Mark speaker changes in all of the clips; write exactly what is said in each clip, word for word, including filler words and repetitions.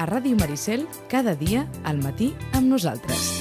Speaker 1: a Ràdio Maricel cada dia al matí amb nosaltres.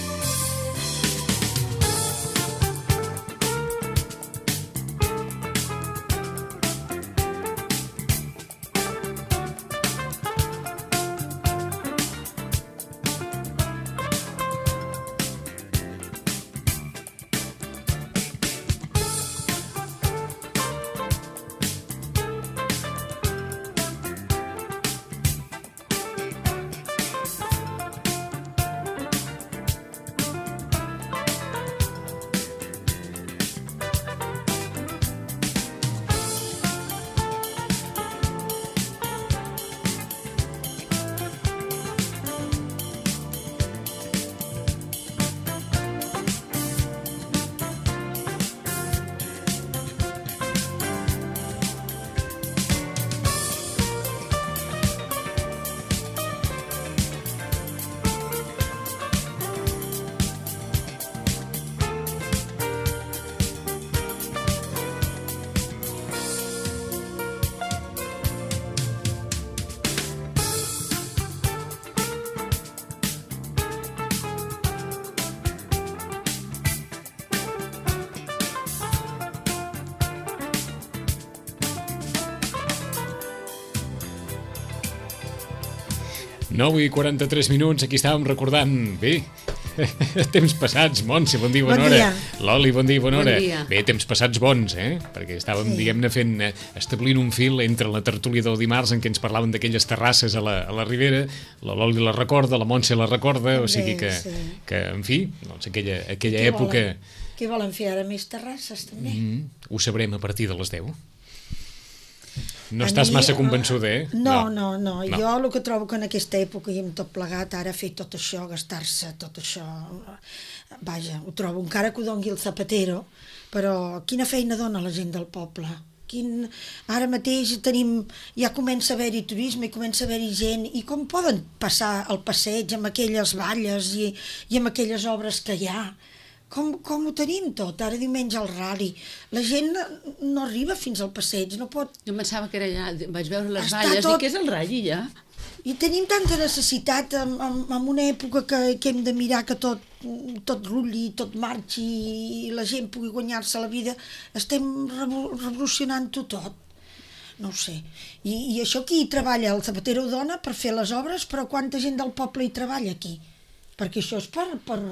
Speaker 2: nou i quaranta-tres minuts, aquí estàvem recordant, bé, temps passats, Montse, bon dia, bona
Speaker 3: bon
Speaker 2: hora.
Speaker 3: Dia.
Speaker 2: Loli, bon dia, bona
Speaker 4: bon
Speaker 2: hora.
Speaker 4: Dia.
Speaker 2: Bé, temps passats bons, eh? Perquè estàvem, sí. diguem-ne, fent, eh, establint un fil entre la tertúlia del dimarts en què ens parlaven d'aquelles terrasses a la, a la Ribera, la Loli la recorda, la Montse la recorda, o sigui que,
Speaker 3: sí.
Speaker 2: que en fi, doncs aquella, aquella
Speaker 3: Què
Speaker 2: època...
Speaker 3: Volen, què volen fer ara, més terrasses, també?
Speaker 2: Mm, ho sabrem a partir de les deu. No
Speaker 3: A
Speaker 2: estàs
Speaker 3: mi,
Speaker 2: massa convençuda, eh?
Speaker 3: No, no, no, no.
Speaker 2: No.
Speaker 3: Jo el que trobo que en aquesta època i amb tot plegat, ara fer tot això, gastar-se tot això, vaja, ho trobo, encara que ho doni el Zapatero, però quina feina dona la gent del poble? Quin... Ara mateix tenim, ja comença a haver-hi turisme i comença a haver-hi gent, i com poden passar el passeig amb aquelles valles i, i amb aquelles obres que hi ha? Com, com ho tenim tot? Ara diumenge al rally. La gent no arriba fins al passeig, no pot...
Speaker 4: Jo pensava que era allà, vaig veure les
Speaker 3: Està
Speaker 4: valles,
Speaker 3: tot-
Speaker 4: i què és el rally, ja?
Speaker 3: I tenim tanta necessitat en, en, en una època que, que hem de mirar que tot, tot rulli, tot marxi i la gent pugui guanyar-se la vida. Estem revo- revolucionant-ho tot. No ho sé. I, I això qui hi treballa? El Zapatero ho dona per fer les obres, però quanta gent del poble hi treballa aquí? Perquè això és per... per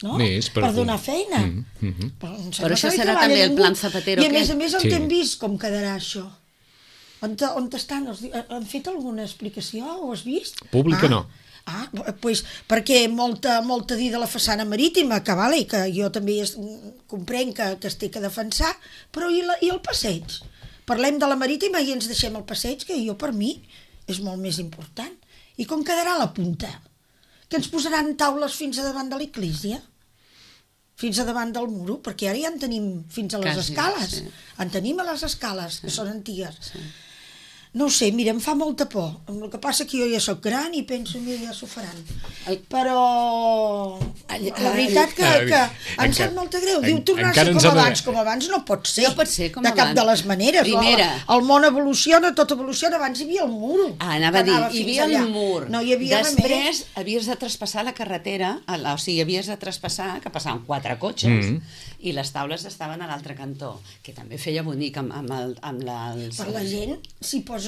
Speaker 3: no?
Speaker 2: Més, per-
Speaker 3: per donar feina.
Speaker 2: Mm, mm, mm.
Speaker 3: Però, em sembla
Speaker 4: Però això
Speaker 3: que no hi
Speaker 4: serà
Speaker 3: treballa
Speaker 4: també el
Speaker 3: ningú.
Speaker 4: plan Zapatero,
Speaker 3: I a més
Speaker 4: què?
Speaker 3: a més on
Speaker 2: Sí.
Speaker 3: hem vist com quedarà això? On, te- on estan? Els, han fet alguna explicació? Ho has vist?
Speaker 2: Pública
Speaker 3: ah,
Speaker 2: no.
Speaker 3: Ah, pues, perquè molta, molta dir de la façana marítima, que vale, que jo també es, comprenc que, que es té que defensar, però i, la, i el passeig? Parlem de la marítima i ens deixem el passeig, que jo per mi és molt més important. I com quedarà la punta? Que ens posaran taules fins a davant de l'església? Fins a davant del muro? Perquè ara ja en tenim fins a les
Speaker 4: Quasi,
Speaker 3: escales.
Speaker 4: sí.
Speaker 3: En tenim a les escales, que són antigues.
Speaker 4: Sí.
Speaker 3: No ho sé, mira, em fa molta por. El que passa que jo ja sóc gran i penso, mira, ja s'ho faran.
Speaker 4: El-
Speaker 3: Però la veritat que,
Speaker 2: Ah,
Speaker 3: que em
Speaker 2: encara-
Speaker 3: sap molta greu.
Speaker 2: en-
Speaker 3: Diu tornar a
Speaker 2: encara
Speaker 3: ser
Speaker 2: ens
Speaker 3: com
Speaker 2: ha de-
Speaker 3: abans. Com abans no pot ser.
Speaker 4: No pot ser com
Speaker 3: de cap
Speaker 4: abans.
Speaker 3: de les maneres.
Speaker 4: Primera.
Speaker 3: El, el món evoluciona, tot evoluciona. Abans hi havia el mur.
Speaker 4: Ah, anava a
Speaker 3: que
Speaker 4: dir,
Speaker 3: anava
Speaker 4: hi
Speaker 3: fins
Speaker 4: havia
Speaker 3: allà.
Speaker 4: el mur.
Speaker 3: No hi havia res més.
Speaker 4: Després havies de traspassar la carretera, a la, o sigui, havies de traspassar, que passaven quatre cotxes,
Speaker 2: Mm.
Speaker 4: i les taules estaven a l'altre cantó, que també feia bonic amb, amb, el, amb la... Els...
Speaker 3: Per la gent, si posen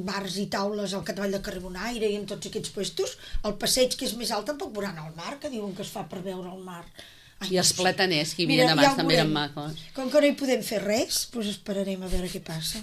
Speaker 3: bars i taules al Catavall de Carbonaire i en tots aquests puestos, el passeig que és més alt tampoc veuran el mar, que diuen que es fa per veure el mar. Ai,
Speaker 4: I els
Speaker 3: no sé.
Speaker 4: plataners que hi havia
Speaker 3: Mira,
Speaker 4: abans
Speaker 3: ja ho
Speaker 4: també eren
Speaker 3: veurem.
Speaker 4: macos.
Speaker 3: Com que no hi podem fer res, doncs esperarem a veure què passa.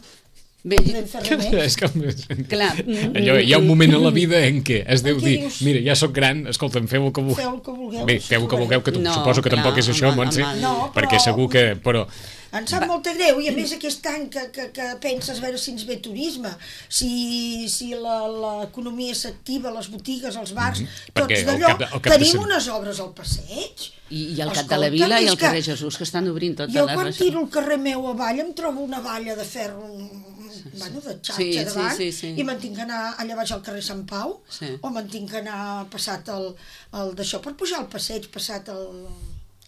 Speaker 4: Bé,
Speaker 3: No podem fer res més.
Speaker 2: És com...
Speaker 4: clar.
Speaker 2: Allò, hi ha un moment a la vida en què es deu
Speaker 3: Què
Speaker 2: dir,
Speaker 3: dius?
Speaker 2: mira, ja sóc gran, escolta'm, feu el que vulgueu.
Speaker 3: Feu el que vulgueu.
Speaker 2: Bé, feu el que vulgueu, que tu,
Speaker 4: No,
Speaker 2: suposo que
Speaker 4: clar,
Speaker 2: tampoc és això,
Speaker 4: home,
Speaker 2: Montse,
Speaker 4: home.
Speaker 3: No,
Speaker 2: perquè
Speaker 3: però-
Speaker 2: segur que... Però,
Speaker 3: Em sap molta greu, i a més aquest any que, que, que penses a veure si ens ve turisme, si, si la- l'economia s'activa, les botigues, els bars,
Speaker 2: Mhm.
Speaker 3: tots
Speaker 2: Perquè al
Speaker 3: d'allò.
Speaker 2: cap de- al cap de
Speaker 3: Tenim
Speaker 2: set-
Speaker 3: unes obres al passeig.
Speaker 4: I, i el Cap de
Speaker 3: Escolta,
Speaker 4: la Vila i
Speaker 3: és
Speaker 4: el
Speaker 3: que
Speaker 4: carrer Jesús, que estan obrint tota
Speaker 3: Jo
Speaker 4: la
Speaker 3: quan
Speaker 4: regió.
Speaker 3: tiro el carrer meu avall em trobo una valla de ferro, bueno, de xarxa
Speaker 4: Sí, sí,
Speaker 3: davant,
Speaker 4: sí, sí.
Speaker 3: i me'n tinc que anar allà baix al carrer Sant Pau,
Speaker 4: Sí.
Speaker 3: o me'n tinc que anar passat el, el d'això per pujar al passeig, passat el,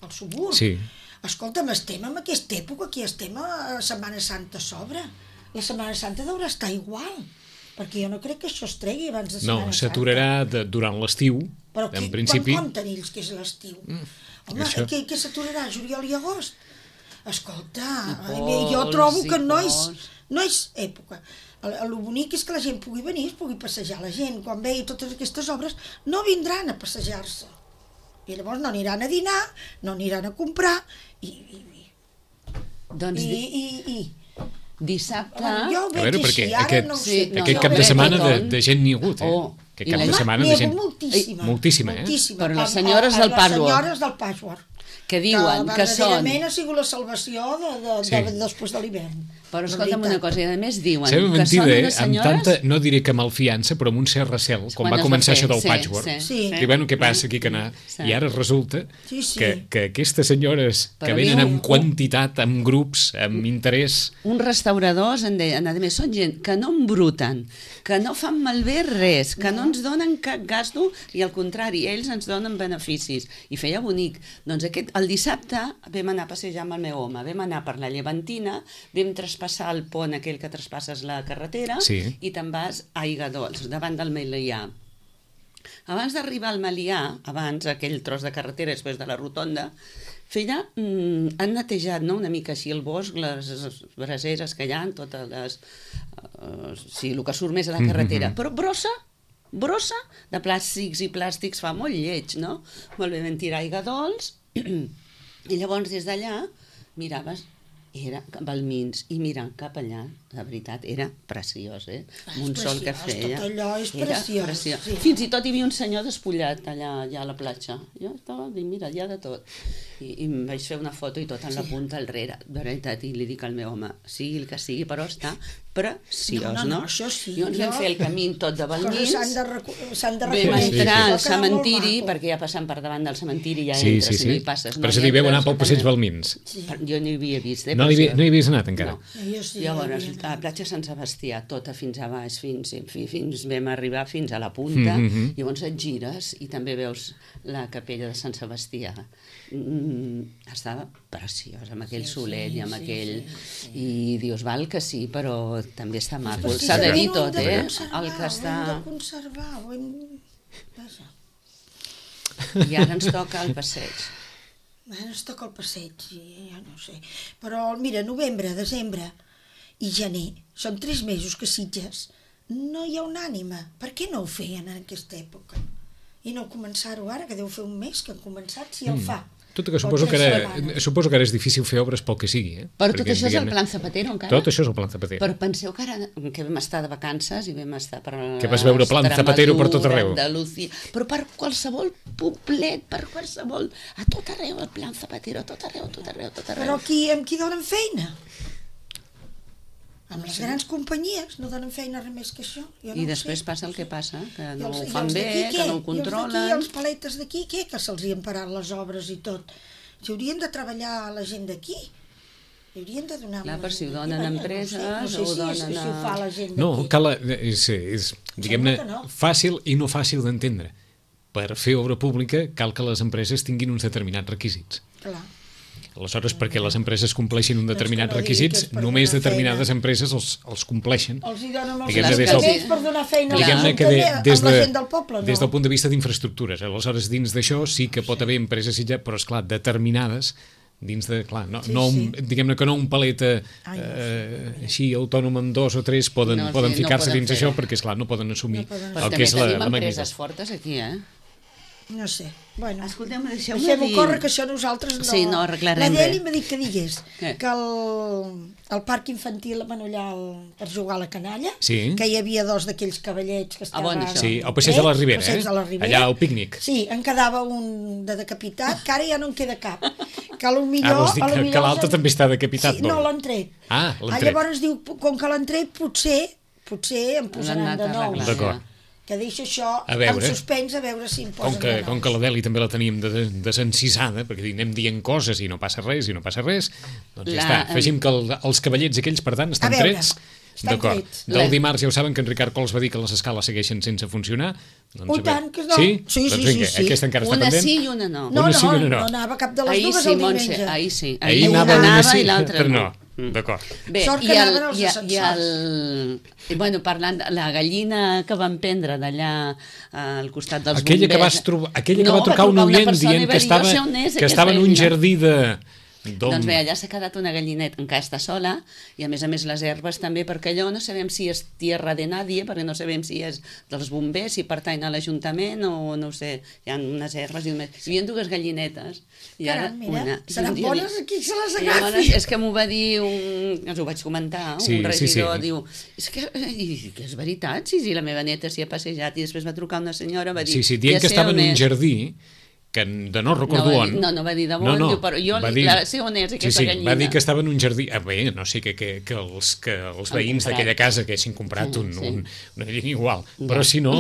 Speaker 3: el subur.
Speaker 2: sí,
Speaker 3: Escolta'm, estem en aquesta època, aquí estem a Setmana Santa a sobre. La Setmana Santa deurà estar igual. Perquè jo no crec que això es tregui abans de
Speaker 2: No,
Speaker 3: Setmana Santa.
Speaker 2: s'aturarà de- durant l'estiu,
Speaker 3: Però
Speaker 2: en
Speaker 3: qui,
Speaker 2: principi.
Speaker 3: quan compten ells que és l'estiu? Mm, Home,
Speaker 2: això.
Speaker 3: què, què s'aturarà? Juliol i agost? Escolta,
Speaker 4: I
Speaker 3: ai, jo
Speaker 4: pols,
Speaker 3: trobo
Speaker 4: i
Speaker 3: que no és,
Speaker 4: pols.
Speaker 3: no és època. El, el bonic és que la gent pugui venir, es pugui passejar. La gent, quan vegi totes aquestes obres, no vindran a passejar-se. I llavors no aniran a dinar, no aniran a comprar, i... i, i,
Speaker 4: Doncs
Speaker 3: i,
Speaker 4: di-
Speaker 3: i, i
Speaker 4: dissabte...
Speaker 3: jo ho
Speaker 2: A
Speaker 3: veig
Speaker 2: veure,
Speaker 3: així,
Speaker 2: perquè
Speaker 3: ara
Speaker 2: aquest,
Speaker 3: no ho
Speaker 4: sí,
Speaker 3: sé.
Speaker 4: no,
Speaker 2: aquest
Speaker 4: no,
Speaker 2: cap de
Speaker 4: bé,
Speaker 2: setmana de,
Speaker 4: tothom.
Speaker 2: de gent n'hi ha hagut, eh?
Speaker 4: Oh,
Speaker 2: Aquest
Speaker 4: i
Speaker 2: cap
Speaker 4: la-
Speaker 2: de setmana
Speaker 3: N'hi
Speaker 2: de
Speaker 3: ha
Speaker 2: gent...
Speaker 3: moltíssima.
Speaker 2: Moltíssima, eh?
Speaker 3: moltíssima.
Speaker 4: Però les
Speaker 3: A- a-
Speaker 4: senyores
Speaker 3: a-
Speaker 4: del patchwork.
Speaker 3: Les senyores del patchwork.
Speaker 4: Que diuen que són...
Speaker 3: verdaderament ha sigut la salvació de, de, de,
Speaker 2: Sí.
Speaker 3: de, després de l'hivern.
Speaker 4: Però
Speaker 3: La
Speaker 4: escolta'm
Speaker 3: veritat.
Speaker 4: una cosa, i a més diuen
Speaker 2: Sembla
Speaker 4: que
Speaker 2: mentida,
Speaker 4: són
Speaker 2: eh?
Speaker 4: unes
Speaker 2: Amb
Speaker 4: senyores...
Speaker 2: tanta, no diré que malfiança, però amb un cert recel, quan
Speaker 4: Quan
Speaker 2: va
Speaker 4: es va
Speaker 2: començar
Speaker 4: fer,
Speaker 2: això del
Speaker 4: sí,
Speaker 2: patchwork.
Speaker 4: sí,
Speaker 3: Sí.
Speaker 2: I bueno, què passa aquí que anar?
Speaker 4: Sí.
Speaker 2: I ara resulta
Speaker 3: Sí, sí.
Speaker 2: que, que aquestes senyores que
Speaker 4: Però
Speaker 2: venen
Speaker 4: diu-
Speaker 2: amb quantitat, amb grups, amb interès...
Speaker 4: Uns restauradors en deien, a més, són gent que no embruten, que no fan malbé res, que no, no ens donen cap gasto i al contrari, ells ens donen beneficis. I feia bonic. Doncs aquest, el dissabte vam anar a passejar amb el meu home, vam anar per la Llevantina, vam traspassar el pont aquell que traspasses la carretera
Speaker 2: Sí.
Speaker 4: i te'n vas a Aigadols, davant del Melià. Abans d'arribar al Melià, abans, aquell tros de carretera després de la rotonda, feia, mm, han netejat no, una mica així el bosc, les braseres que hi ha, totes les... Uh, sí, el que surt més a la carretera. Mm -hmm. Però brossa, brossa de plàstics i plàstics fa molt lleig, no? Molt bé, vam tirar aigua dolç i llavors des d'allà miraves, era Balmins, i mira, cap allà, la veritat, era preciós, eh?
Speaker 3: És
Speaker 4: Amb un sol que
Speaker 3: preciós,
Speaker 4: feia.
Speaker 3: tot allò és
Speaker 4: Era
Speaker 3: preciós,
Speaker 4: preciós.
Speaker 3: sí.
Speaker 4: Fins i tot hi havia un senyor despullat allà, allà a la platja. Jo estava dient, mira, hi ha de tot. I, i em vaig fer una foto i tot en la punta al rere, de veritat, i li dic al meu home, sigui el que sigui, però està preciós,
Speaker 3: No,
Speaker 4: no?
Speaker 3: no, no, això sí,
Speaker 4: Llavors vam
Speaker 3: jo-
Speaker 4: fer el camí tot de
Speaker 3: Coses
Speaker 4: Balmins,
Speaker 3: s'han de, recu- s'han de
Speaker 4: vam
Speaker 3: reconèixer.
Speaker 4: entrar
Speaker 3: Va
Speaker 4: al
Speaker 3: quedar molt
Speaker 4: cementiri,
Speaker 3: maco.
Speaker 4: perquè ja passant per davant del cementiri ja
Speaker 2: Sí,
Speaker 4: entres,
Speaker 2: sí,
Speaker 4: i no hi
Speaker 2: sí.
Speaker 4: passes.
Speaker 2: Però
Speaker 4: no
Speaker 2: se
Speaker 4: hi
Speaker 2: li veu
Speaker 4: entres,
Speaker 2: anar pel passeig
Speaker 4: eh?
Speaker 2: Balmins.
Speaker 3: Sí.
Speaker 4: Jo no hi havia vist, eh?
Speaker 2: No,
Speaker 4: per
Speaker 2: hi havia,
Speaker 4: això.
Speaker 2: no hi havies anat encara.
Speaker 4: No.
Speaker 3: Jo sí,
Speaker 4: Llavors,
Speaker 3: hi havia
Speaker 4: a la
Speaker 3: anat.
Speaker 4: platja Sant Sebastià, tota fins a baix, fins, en fi, fins vam arribar fins a la punta,
Speaker 2: Mm -hmm.
Speaker 4: llavors et gires i també veus la capella de Sant Sebastià. Mm, estava preciosa, amb aquell
Speaker 3: Sí,
Speaker 4: solet
Speaker 3: sí,
Speaker 4: i amb
Speaker 3: sí,
Speaker 4: aquell...
Speaker 3: sí, sí.
Speaker 4: I dius, val que sí, però també està maco.
Speaker 3: Però
Speaker 4: S'ha de dir
Speaker 3: precisament ho
Speaker 4: tot,
Speaker 3: hem de
Speaker 4: eh?
Speaker 3: conservar,
Speaker 4: El que
Speaker 3: Ho
Speaker 4: està...
Speaker 3: hem de conservar, ho hem... Vaja.
Speaker 4: I ara ens toca el passeig.
Speaker 3: Ara ens toca el passeig, i ja no ho sé. Però, mira, novembre, desembre i gener, són tres mesos que Sitges no hi ha una ànima. Per què no ho feien en aquesta època? I no començar-ho ara, que deu fer un mes que han començat, si el fa.
Speaker 2: Tot i que suposo que, ara, suposo que ara és difícil fer obres pel que sigui. Eh?
Speaker 4: Però tot
Speaker 2: Perquè,
Speaker 4: això és el
Speaker 2: diguem-ne,
Speaker 4: plan Zapatero, encara?
Speaker 2: Tot això és el plan Zapatero.
Speaker 4: Però penseu que ara que vam estar de vacances i vam estar per...
Speaker 2: Que vas veure plan Zapatero per tot arreu.
Speaker 4: Andalusia, però per qualsevol poblet, per qualsevol... A tot arreu el plan Zapatero, a tot arreu, a tot arreu, a tot arreu.
Speaker 3: Però qui, amb qui donen feina? Amb les grans companyies no donen feina res més que això. Jo no
Speaker 4: I
Speaker 3: ho
Speaker 4: després
Speaker 3: sé.
Speaker 4: passa el que passa, que
Speaker 3: I
Speaker 4: no
Speaker 3: els-
Speaker 4: ho
Speaker 3: i
Speaker 4: fan
Speaker 3: els
Speaker 4: bé,
Speaker 3: d'aquí
Speaker 4: que
Speaker 3: què?
Speaker 4: no ho
Speaker 3: I els
Speaker 4: controlen...
Speaker 3: d'aquí, els paletes d'aquí, què? Que se'ls hi han parat les obres i tot. Si haurien de treballar la gent d'aquí, hi haurien de donar...
Speaker 4: Clar,
Speaker 3: la
Speaker 4: per si ho
Speaker 3: gent
Speaker 4: donen
Speaker 3: d'aquí,
Speaker 4: empreses,
Speaker 3: no sé,
Speaker 4: o
Speaker 3: no sé si,
Speaker 4: donen
Speaker 3: si ho
Speaker 4: a-
Speaker 3: fa la gent
Speaker 2: No,
Speaker 3: d'aquí.
Speaker 2: cal, és, és diguem-ne,
Speaker 3: que no.
Speaker 2: fàcil i no fàcil d'entendre. Per fer obra pública cal que les empreses tinguin uns determinats requisits.
Speaker 3: Clar.
Speaker 2: Aleshores, perquè les empreses compleixin uns
Speaker 3: Doncs
Speaker 2: determinats
Speaker 3: que no digui que
Speaker 2: requisits,
Speaker 3: és per
Speaker 2: només
Speaker 3: donar
Speaker 2: determinades
Speaker 3: feina.
Speaker 2: empreses els, els compleixen.
Speaker 3: Els hi donen els
Speaker 2: Diguem-ne, des
Speaker 3: ajuntaments
Speaker 2: del-
Speaker 3: per donar feina als
Speaker 2: Diguem-ne que de,
Speaker 3: ajuntaments
Speaker 2: des,
Speaker 3: amb la
Speaker 2: de,
Speaker 3: gent del poble, no?
Speaker 2: des del punt de vista d'infraestructures. Aleshores, dins d'això sí que pot haver empreses, i ja, però és clar, determinades dins de, clar, no,
Speaker 3: Sí,
Speaker 2: no un,
Speaker 3: sí.
Speaker 2: diguem-ne que no un paleta
Speaker 3: Ai, no
Speaker 2: eh, així autònom amb dos o tres poden,
Speaker 4: No, sí,
Speaker 2: poden
Speaker 4: no
Speaker 2: ficar-se
Speaker 4: poden
Speaker 2: dins
Speaker 4: fer-ho.
Speaker 2: això perquè, esclar, no poden assumir
Speaker 3: No poden
Speaker 4: Però
Speaker 2: el
Speaker 4: també
Speaker 2: que és la,
Speaker 4: tenim
Speaker 2: la
Speaker 4: empreses
Speaker 2: magnitud.
Speaker 4: fortes aquí, eh?
Speaker 3: No sé. Bueno,
Speaker 4: Escolteu-me, deixeu-me
Speaker 3: deixem-ho
Speaker 4: dir...
Speaker 3: córrer, que això nosaltres no...
Speaker 4: Sí, no arreglarem
Speaker 3: La Deli
Speaker 4: res.
Speaker 3: m'ha dit que digués
Speaker 4: Què?
Speaker 3: que el, el parc infantil, bueno, allà el, per jugar a la canalla,
Speaker 2: Sí.
Speaker 3: que hi havia dos d'aquells cavallets que estaven...
Speaker 4: bon, això.
Speaker 2: Sí, al passeig de la Ribera,
Speaker 3: passeig
Speaker 2: eh?
Speaker 3: de la Ribera.
Speaker 2: Allà al pícnic.
Speaker 3: Sí, en quedava un de decapitat, que ara ja no en queda cap. Que a lo millor...
Speaker 2: Ah, vols dir
Speaker 3: a lo
Speaker 2: que,
Speaker 3: millor
Speaker 2: que l'altre
Speaker 3: els han-
Speaker 2: també està decapitat?
Speaker 3: Sí, no,
Speaker 2: vol?
Speaker 3: l'han tret.
Speaker 2: Ah, l'han
Speaker 3: Ah,
Speaker 2: tret.
Speaker 3: llavors diu, com que l'han tret, potser, potser em
Speaker 4: L'han
Speaker 3: posaran
Speaker 4: anat
Speaker 3: de
Speaker 4: a
Speaker 3: nou.
Speaker 4: arreglar,
Speaker 2: D'acord.
Speaker 4: ja.
Speaker 3: Que deixa això
Speaker 2: A veure.
Speaker 3: en suspens, a veure si em posen
Speaker 2: Com que,
Speaker 3: de nou.
Speaker 2: com que la Deli també la teníem de, de, desencisada, perquè anem dient coses i no passa res, i no passa res, doncs ja
Speaker 4: La-
Speaker 2: està. Afegim que el, els cavallets aquells, per tant, estan
Speaker 3: A veure,
Speaker 2: trets.
Speaker 3: estan
Speaker 2: D'acord.
Speaker 3: trets.
Speaker 2: Del
Speaker 4: La-
Speaker 2: dimarts ja ho saben que en Ricard Cols va dir que les escales segueixen sense funcionar. Doncs,
Speaker 3: Oh,
Speaker 2: a veure.
Speaker 3: tant que no.
Speaker 2: Sí?
Speaker 3: Sí,
Speaker 2: doncs
Speaker 3: sí,
Speaker 2: vinga,
Speaker 3: sí, sí.
Speaker 2: aquesta encara està
Speaker 4: Una
Speaker 2: pendent.
Speaker 4: sí i una no.
Speaker 3: No,
Speaker 2: Una
Speaker 3: no,
Speaker 2: sí i una no.
Speaker 3: no anava cap de les
Speaker 4: Ahir
Speaker 3: dues
Speaker 4: sí,
Speaker 3: el
Speaker 4: Montse,
Speaker 3: diumenge.
Speaker 4: ahir sí.
Speaker 2: Ahir
Speaker 4: Ahir
Speaker 2: anava
Speaker 4: una
Speaker 2: una
Speaker 4: anava
Speaker 2: sí,
Speaker 4: i l'altra
Speaker 2: però
Speaker 4: no.
Speaker 2: no. Mm. D'acord.
Speaker 4: Bé,
Speaker 3: Sort que
Speaker 4: i el,
Speaker 3: anaven els
Speaker 4: i, i
Speaker 3: ascensors.
Speaker 4: el, i bueno, parlant de la gallina que van prendre d'allà al costat dels
Speaker 2: Aquella
Speaker 4: bombers...
Speaker 2: que, vas trobar, aquella
Speaker 4: no,
Speaker 2: que va trucar un oient
Speaker 4: persona
Speaker 2: dient
Speaker 4: i va
Speaker 2: que
Speaker 4: dir,
Speaker 2: estava,
Speaker 4: "Jo sé on és
Speaker 2: que
Speaker 4: aquesta
Speaker 2: estava en un
Speaker 4: gallina".
Speaker 2: jardí de...
Speaker 4: Doncs bé, allà s'ha quedat una gallineta, encara està sola, i a més a més les herbes també, perquè allò no sabem si és tierra de nadie, perquè no sabem si és dels bombers, si pertany a l'Ajuntament o no ho sé, hi ha unes herbes i, només... hi havia dues gallinetes. I ara
Speaker 3: Caram, mira,
Speaker 4: una.
Speaker 3: seran
Speaker 4: I un dia
Speaker 3: bones
Speaker 4: dic-
Speaker 3: aquí, se les
Speaker 4: I
Speaker 3: agafi.
Speaker 4: llavors, és que m'ho va dir un... us ho vaig comentar,
Speaker 2: Sí,
Speaker 4: un
Speaker 2: sí,
Speaker 4: regidor,
Speaker 2: sí.
Speaker 4: diu, és que, i, que és veritat, sí, sí, la meva neta s'hi ha passejat, i després va trucar una senyora, va dir...
Speaker 2: Sí, sí, dient
Speaker 4: "Ja
Speaker 2: que
Speaker 4: sé
Speaker 2: estava
Speaker 4: on
Speaker 2: en un
Speaker 4: és".
Speaker 2: jardí que de no recordo
Speaker 4: no va
Speaker 2: on.
Speaker 4: dir, no, no va dir de on,
Speaker 2: No, no,
Speaker 4: diu, però jo
Speaker 2: va
Speaker 4: li,
Speaker 2: dir-
Speaker 4: la, sé on és aquesta
Speaker 2: sí, sí,
Speaker 4: gallina.
Speaker 2: va dir que estava en un jardí... Ah, bé, no sé, que, que, que els, que els
Speaker 4: Han
Speaker 2: veïns
Speaker 4: comprat.
Speaker 2: d'aquella casa que haguessin comprat
Speaker 4: Sí,
Speaker 2: un,
Speaker 4: sí.
Speaker 2: un, una gallina igual.
Speaker 4: Ja.
Speaker 2: Però si no,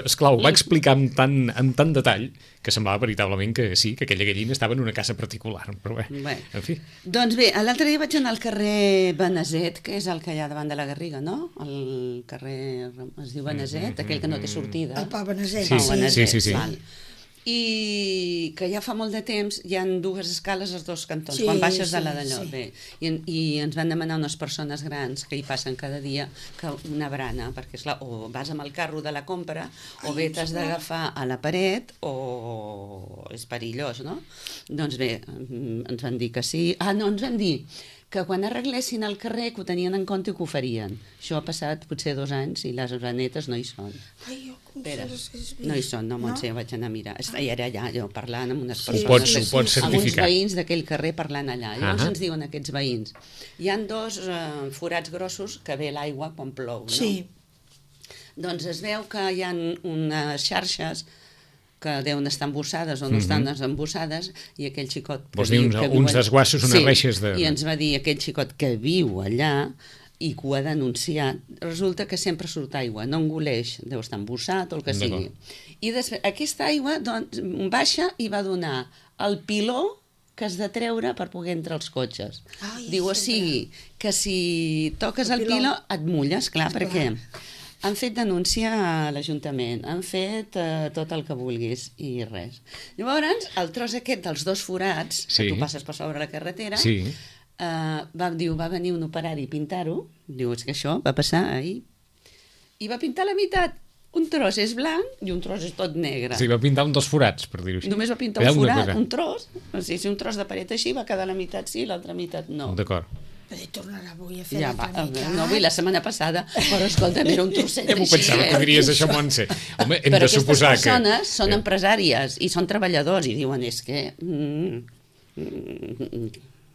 Speaker 2: esclar, ho va explicar amb tant, amb tant detall que semblava veritablement que sí, que aquella gallina estava en una casa particular. Però bé,
Speaker 4: Bé.
Speaker 2: en fi.
Speaker 4: Doncs bé, l'altre dia vaig anar al carrer Beneset, que és el que hi ha davant de la Garriga, no? El carrer, es diu Beneset, aquell que no té sortida.
Speaker 3: El Pau Beneset,
Speaker 2: Sí,
Speaker 4: Pau
Speaker 2: sí,
Speaker 4: Beneset,
Speaker 2: sí, sí, sí.
Speaker 4: val. I que ja fa molt de temps hi han dues escales als dos cantons,
Speaker 3: Sí,
Speaker 4: quan baixes de
Speaker 3: sí,
Speaker 4: la d'allò.
Speaker 3: sí.
Speaker 4: Bé, i, I ens van demanar unes persones grans que hi passen cada dia que una brana, perquè esclar, o vas amb el carro de la compra o bé t'has d'agafar a la paret o és perillós, no? Doncs bé, ens van dir que sí. Ah, no, ens van dir que quan arreglessin el carrer que ho tenien en compte i que ho farien. Això ha passat potser dos anys i les granetes no hi són.
Speaker 3: Ai, jo com
Speaker 4: Espera,
Speaker 3: se les
Speaker 4: no hi són, no, Montse, no? Vaig anar a mirar. I era allà, jo, parlant amb unes
Speaker 3: Sí,
Speaker 4: persones...
Speaker 2: Ho pots,
Speaker 3: sí,
Speaker 2: ho
Speaker 3: sí,
Speaker 2: pots
Speaker 3: sí.
Speaker 4: amb uns
Speaker 2: certificar.
Speaker 4: veïns d'aquell carrer parlant allà. Llavors
Speaker 2: Ahà.
Speaker 4: ens diuen aquests veïns. Hi han dos eh, forats grossos que ve l'aigua quan plou, no?
Speaker 3: Sí,
Speaker 4: Doncs es veu que hi ha unes xarxes que deuen estar embossades o no estan embossades, i aquell xicot... que
Speaker 2: Vols dir
Speaker 4: viu-
Speaker 2: uns-
Speaker 4: que viu
Speaker 2: uns
Speaker 4: allà-
Speaker 2: desguassos, unes reixes de-
Speaker 4: i ens va dir aquell xicot que viu allà i que ho ha denunciat, resulta que sempre surt aigua, no engoleix, deu estar embossat o el que sigui. I després, aquesta aigua doncs, baixa i va donar el piló que has de treure per poder entrar als cotxes.
Speaker 3: Ai,
Speaker 4: Diu, o
Speaker 3: sempre.
Speaker 4: sigui, que si toques el,
Speaker 3: El piló.
Speaker 4: piló et mulles, clar,
Speaker 3: Clar.
Speaker 4: perquè han fet denúncia a l'Ajuntament, han fet eh, tot el que vulguis i res. Llavors, el tros aquest dels dos forats,
Speaker 2: Sí.
Speaker 4: que tu passes per sobre la carretera,
Speaker 2: Sí.
Speaker 4: eh, va, diu, va venir un operari a pintar-ho, diu, és que això va passar ahir, i va pintar la meitat. Un tros és blanc i un tros és tot negre.
Speaker 2: O sigui, va pintar un dels forats, per dir-ho així.
Speaker 4: Només va pintar
Speaker 2: Hi ha
Speaker 4: un
Speaker 2: alguna
Speaker 4: forat,
Speaker 2: cosa?
Speaker 4: un tros, o sigui, si un tros de paret així va quedar la meitat sí i l'altra meitat no.
Speaker 2: D'acord.
Speaker 3: però tornarà avui a fer
Speaker 4: Ja
Speaker 3: l'altra
Speaker 4: va,
Speaker 3: meitat.
Speaker 4: no vull la setmana passada, però escolta, era un trosset
Speaker 2: Ja m'ho
Speaker 4: així,
Speaker 2: pensava
Speaker 4: eh?
Speaker 2: que diries això, Montse. Home, hem
Speaker 4: Però
Speaker 2: de
Speaker 4: aquestes
Speaker 2: suposar que...
Speaker 4: persones són
Speaker 2: Eh,
Speaker 4: empresàries i són treballadors i diuen, és que... Mm, mm,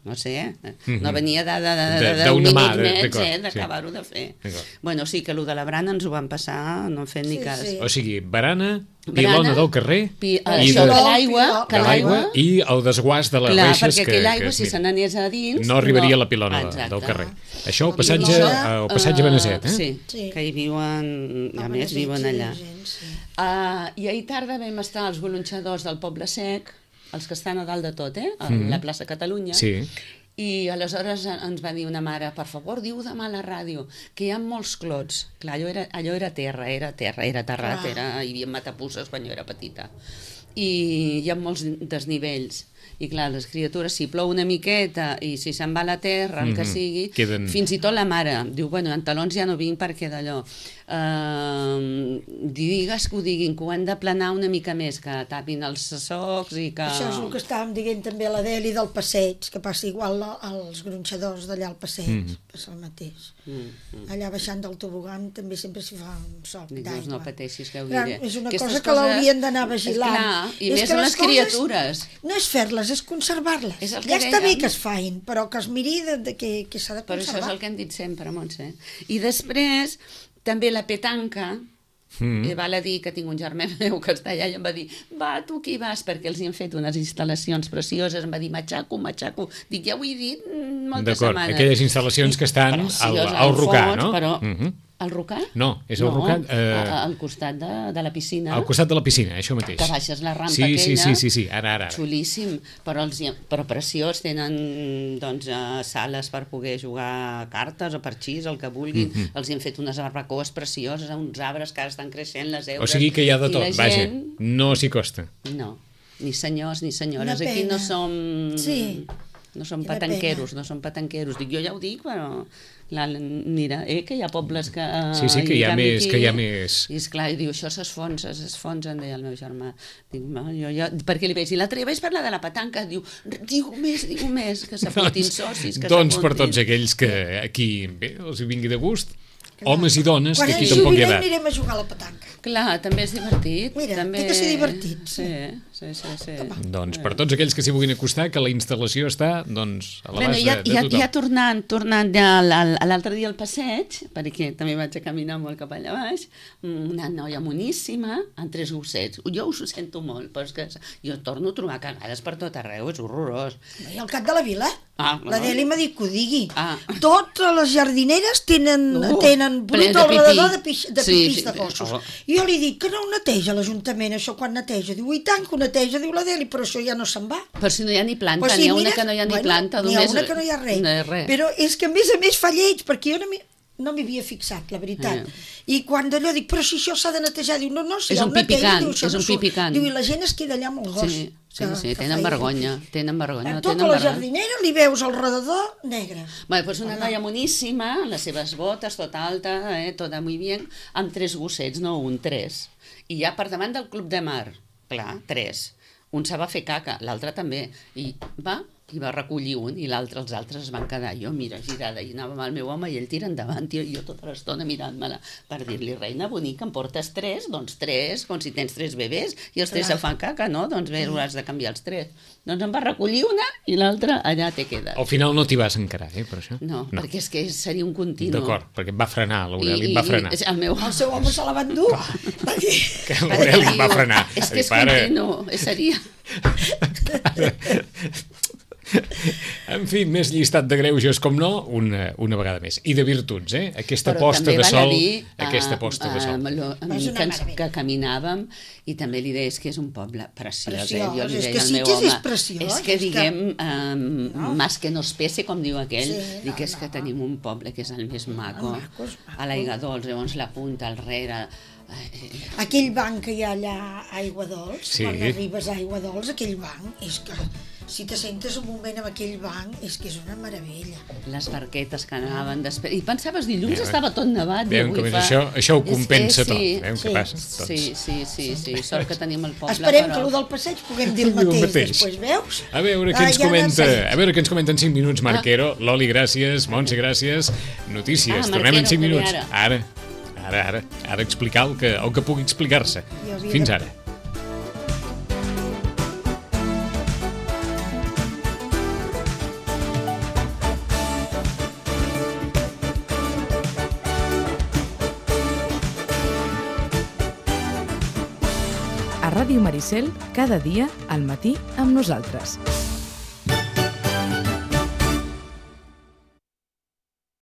Speaker 4: no sé, eh? no venia de, de, de,
Speaker 2: De-
Speaker 4: de,
Speaker 2: d'una
Speaker 4: d'un
Speaker 2: mà,
Speaker 4: minut
Speaker 2: de-
Speaker 4: més,
Speaker 2: d'acord,
Speaker 4: eh,
Speaker 2: sí.
Speaker 4: d'acabar-ho de fer.
Speaker 2: D'acord.
Speaker 4: Bueno, sí, que allò de la brana ens ho van passar, no en fem ni
Speaker 3: Sí,
Speaker 4: cas.
Speaker 3: sí.
Speaker 2: O sigui, barana,
Speaker 4: Brana,
Speaker 2: pilona del carrer
Speaker 4: pi,
Speaker 2: i
Speaker 4: això,
Speaker 2: de,
Speaker 4: que l'aigua, que
Speaker 2: de l'aigua
Speaker 4: l'aigua...
Speaker 2: i el desguàs de les
Speaker 4: Clar,
Speaker 2: reixes
Speaker 4: perquè
Speaker 2: que...
Speaker 4: aquella aigua,
Speaker 2: que,
Speaker 4: si se n'anés a dins...
Speaker 2: no arribaria
Speaker 4: no.
Speaker 2: a la pilona de-
Speaker 4: Exacte.
Speaker 2: del carrer. Això al
Speaker 3: La
Speaker 2: passatge,
Speaker 3: pilona,
Speaker 2: al passatge
Speaker 4: eh,
Speaker 2: Beneset, eh?
Speaker 4: Sí,
Speaker 3: Sí.
Speaker 4: que hi viuen, a
Speaker 3: Home,
Speaker 4: més,
Speaker 3: de
Speaker 4: viuen
Speaker 3: gent,
Speaker 4: allà.
Speaker 3: de gent, sí.
Speaker 4: Uh, I ahir tarda vam estar els golonxadors del Poble Sec, els que estan a dalt de tot, eh? A la plaça Catalunya.
Speaker 2: Sí.
Speaker 4: I aleshores ens va dir una mare, per favor, diu demà a la ràdio, que hi ha molts clots. Clar, allò era, allò era terra, era terra, era terrat,
Speaker 3: Clar.
Speaker 4: era, hi havia matapusses quan jo era petita. I hi ha molts desnivells. I clar, les criatures, si plou una miqueta i si se'n va a la terra, el que
Speaker 2: Mhm.
Speaker 4: sigui,
Speaker 2: Queden-
Speaker 4: fins i tot la mare diu, bueno, en talons ja no vinc perquè d'allò. Uh, digues que ho diguin, que ho han de planar una mica més, que tapin els socs i que...
Speaker 3: Això és el que estàvem dient també a l'Adeli del passeig, que passa igual a- als gronxadors d'allà al passeig,
Speaker 2: Mhm.
Speaker 3: passa el mateix.
Speaker 4: Mm,
Speaker 3: Allà baixant del tobogan també sempre s'hi fa un soc
Speaker 4: Dic,
Speaker 3: d'aigua.
Speaker 4: doncs no pateixis, que ho
Speaker 3: Clar,
Speaker 4: diré.
Speaker 3: és una
Speaker 4: Aquestes
Speaker 3: cosa que l'haurien d'anar vigilant.
Speaker 4: Esclar, i
Speaker 3: És
Speaker 4: més
Speaker 3: que
Speaker 4: les,
Speaker 3: les coses
Speaker 4: criatures.
Speaker 3: No és fer-les, és conservar-les.
Speaker 4: És el que
Speaker 3: Ja està bé
Speaker 4: dèiem.
Speaker 3: que es fain, però que es miri de, de que, que s'ha de
Speaker 4: Però això
Speaker 3: conservar.
Speaker 4: és el que hem dit sempre, Montse. I després, també la petanca,
Speaker 2: Mm.
Speaker 4: mm. val a dir que tinc un germà meu que està allà i em va dir, va, tu qui vas? Perquè els hi han fet unes instal·lacions precioses. Em va dir, matxaco, matxaco. Dic, ja ho he dit mm, moltes
Speaker 2: D'acord,
Speaker 4: setmanes.
Speaker 2: aquelles instal·lacions que estan al,
Speaker 4: Precioses,
Speaker 2: al Rocà,
Speaker 4: fons,
Speaker 2: no?
Speaker 4: Però,
Speaker 2: Mhm.
Speaker 4: al Rocà?
Speaker 2: No, és al Rocà, eh,
Speaker 4: a- al costat de, de la piscina.
Speaker 2: Al costat de la piscina, això mateix.
Speaker 4: Que baixes la rampa
Speaker 2: sí, sí,
Speaker 4: aquella.
Speaker 2: sí, sí, sí, ara, ara. ara.
Speaker 4: Xulíssim, però, els, hi- però preciós, tenen doncs, eh, sales per poder jugar a cartes o parxís, el que vulguin,
Speaker 2: Mhm.
Speaker 4: els hi han fet unes barbacoes precioses, uns arbres que ara estan creixent, les heures...
Speaker 2: O sigui que hi ha de
Speaker 4: i
Speaker 2: tot,
Speaker 4: la
Speaker 2: vaja,
Speaker 4: gent-
Speaker 2: no s'hi costa.
Speaker 4: No, ni senyors ni senyores,
Speaker 3: Una
Speaker 4: aquí no
Speaker 3: pena.
Speaker 4: som...
Speaker 3: Sí.
Speaker 4: no som
Speaker 3: Quina
Speaker 4: patanqueros,
Speaker 3: pena.
Speaker 4: no som patanqueros. Dic, jo ja ho dic, però... La, mira, eh, que hi ha pobles que...
Speaker 2: Sí, sí, que hi ha
Speaker 4: en canvi
Speaker 2: més, que hi ha més.
Speaker 4: I esclar, i diu, això s'esfonsa, s'esfonsa, em deia el meu germà. Dic, no, jo, jo, perquè li veig, i l'altre dia vaig parlar de la petanca, diu, diu més, diu més, que s'apuntin socis, que
Speaker 2: Doncs per
Speaker 4: s'apuntin.
Speaker 2: tots aquells que aquí, bé, els hi vingui de gust, homes i dones,
Speaker 3: Quan
Speaker 2: que aquí
Speaker 3: ens
Speaker 2: tampoc hi ha
Speaker 3: jubilem
Speaker 2: edat.
Speaker 3: anirem a jugar a la petanca.
Speaker 4: Clar, també és divertit.
Speaker 3: Mira,
Speaker 4: també...
Speaker 3: té que ser divertit,
Speaker 4: Sí,
Speaker 3: sí.
Speaker 4: sí, sí. sí.
Speaker 2: Doncs per tots aquells que s'hi vulguin acostar, que la instal·lació està doncs, a
Speaker 4: Bueno,
Speaker 2: l'abast
Speaker 4: ja,
Speaker 2: de, de
Speaker 4: ja,
Speaker 2: tothom.
Speaker 4: ja tornant, tornant ja a l'al- a l'altre dia al passeig, perquè també vaig a caminar molt cap allà baix, una noia moníssima amb tres gossets. Jo us ho sento molt, però és que jo torno a trobar cagades per tot arreu, és horrorós.
Speaker 3: I al cap de la vila,
Speaker 4: Ah,
Speaker 3: la
Speaker 4: no.
Speaker 3: Deli m'ha dit que ho digui.
Speaker 4: Ah.
Speaker 3: Totes les jardineres tenen,
Speaker 4: Uh,
Speaker 3: tenen brut
Speaker 4: plens de
Speaker 3: al
Speaker 4: pipí.
Speaker 3: redador de, pix, de
Speaker 4: Sí,
Speaker 3: pipís
Speaker 4: sí,
Speaker 3: de gossos.
Speaker 4: oh.
Speaker 3: I jo li dic que no ho neteja l'Ajuntament, això quan neteja. Diu, i tant que ho neteja, diu la Deli, però això ja no se'n va.
Speaker 4: Però si no hi ha ni planta,
Speaker 3: Pues
Speaker 4: n'hi
Speaker 3: sí,
Speaker 4: ha una
Speaker 3: mira,
Speaker 4: que no hi ha ni
Speaker 3: bueno,
Speaker 4: planta.
Speaker 3: N'hi ha
Speaker 4: només-
Speaker 3: una que no hi ha res.
Speaker 4: No hi ha res.
Speaker 3: Però és que a més a més fa lleig, perquè jo no m'hi no m'hi havia fixat, la veritat.
Speaker 4: Eh.
Speaker 3: I quan d'allò dic, però si això s'ha de netejar, diu, no, no, si
Speaker 4: És
Speaker 3: ja
Speaker 4: un
Speaker 3: ho neteja,
Speaker 4: pipicant,
Speaker 3: diu, això
Speaker 4: és
Speaker 3: no
Speaker 4: un
Speaker 3: surt.
Speaker 4: pipicant.
Speaker 3: Diu, i la gent es queda allà amb el gos.
Speaker 4: Sí, sí,
Speaker 3: que-
Speaker 4: sí,
Speaker 3: que
Speaker 4: tenen
Speaker 3: fa
Speaker 4: vergonya,
Speaker 3: pipí.
Speaker 4: tenen vergonya,
Speaker 3: A
Speaker 4: tenen
Speaker 3: tota la
Speaker 4: vergonya.
Speaker 3: jardinera li veus al redador negre.
Speaker 4: Bueno, pues una noia moníssima, amb les seves botes, tot alta, eh, tota muy bien, amb tres gossets, no un, tres. I ja per davant del club de mar, clar, tres. Un se va fer caca, l'altre també. I va, i va recollir un, i l'altre, els altres es van quedar. Jo, mira, girada, i anava amb el meu home, i ell tira endavant, i jo tota l'estona mirant-me-la, per dir-li, reina bonica, em portes tres? Doncs tres, com si tens tres bebès, i els tres
Speaker 3: Clar.
Speaker 4: se fan caca, no? Doncs bé, hauràs de canviar els tres. Doncs em va recollir una, i l'altra allà te quedes.
Speaker 2: Al final no t'hi vas encarar, eh, per això?
Speaker 4: No, no, perquè és que seria un continu.
Speaker 2: D'acord, perquè em va frenar, l'Aureli em va frenar.
Speaker 4: I, el meu...
Speaker 3: El seu home se la va endur. Va dir,
Speaker 2: Que l'Aureli em va frenar.
Speaker 4: És
Speaker 2: Va
Speaker 4: que
Speaker 2: dir,
Speaker 4: és
Speaker 2: "Pare".
Speaker 4: continu, eh, seria...
Speaker 2: En fi, més llistat de greuges, com no, una, una vegada més. I de virtuts, eh? Aquesta
Speaker 4: Però
Speaker 2: posta
Speaker 4: també
Speaker 2: de
Speaker 4: val a
Speaker 2: sol,
Speaker 4: dir,
Speaker 2: aquesta
Speaker 4: eh,
Speaker 2: posta de
Speaker 4: eh,
Speaker 2: sol.
Speaker 4: amb lo- amb
Speaker 3: És una
Speaker 4: que, ens,
Speaker 3: meravella.
Speaker 4: que caminàvem, i també li deia, és que és un poble preciós,
Speaker 3: Preciós,
Speaker 4: eh? Jo li
Speaker 3: és
Speaker 4: deia
Speaker 3: que
Speaker 4: al
Speaker 3: sí
Speaker 4: meu
Speaker 3: que
Speaker 4: home,
Speaker 3: és preciós,
Speaker 4: és que
Speaker 3: és que-
Speaker 4: diguem, eh,
Speaker 3: No.
Speaker 4: más que no es pese, com diu aquell,
Speaker 3: Sí,
Speaker 4: dic
Speaker 3: no,
Speaker 4: és que
Speaker 3: no.
Speaker 4: tenim un poble que és el més maco,
Speaker 3: maco, és maco.
Speaker 4: a l'Aigua Dols, llavors la punta al rere... Eh,
Speaker 3: aquell banc que hi ha allà a Aigua Dols,
Speaker 2: Sí.
Speaker 3: quan arribes a Aigua Dols, aquell banc, és que si te sentes un moment amb aquell banc, és que és una meravella.
Speaker 4: les barquetes que anaven després... I pensaves, dilluns
Speaker 2: Veuen-
Speaker 4: estava tot nevat. i
Speaker 2: Veuen
Speaker 4: avui
Speaker 2: com és
Speaker 4: fa-
Speaker 2: això, això ho
Speaker 4: És que
Speaker 2: compensa tot.
Speaker 4: sí,
Speaker 2: Veuen
Speaker 3: sí,
Speaker 2: què passa? Doncs.
Speaker 4: Sí, sí, sí, sí, sort que tenim el poble,
Speaker 3: Esperem
Speaker 4: però...
Speaker 3: que el del passeig puguem dir el
Speaker 2: Diu el
Speaker 3: mateix,
Speaker 2: mateix.
Speaker 3: després, veus?
Speaker 2: A veure què
Speaker 3: Ah,
Speaker 2: ens
Speaker 3: ja n'ha
Speaker 2: comenta,
Speaker 3: seguit.
Speaker 2: a veure què ens comenta en cinc minuts,
Speaker 4: Ah.
Speaker 2: Marquero. Loli, gràcies. Montse, gràcies. Notícies.
Speaker 4: Ah,
Speaker 2: Tornem en
Speaker 4: Marquero,
Speaker 2: cinc
Speaker 4: que ve
Speaker 2: minuts.
Speaker 4: ara.
Speaker 2: Ara, ara, ara. Ara explicar el que, el que pugui explicar-se.
Speaker 3: Jo havia
Speaker 2: Fins
Speaker 3: de-
Speaker 2: ara.
Speaker 1: A Ràdio Maricel, cada dia al matí amb nosaltres.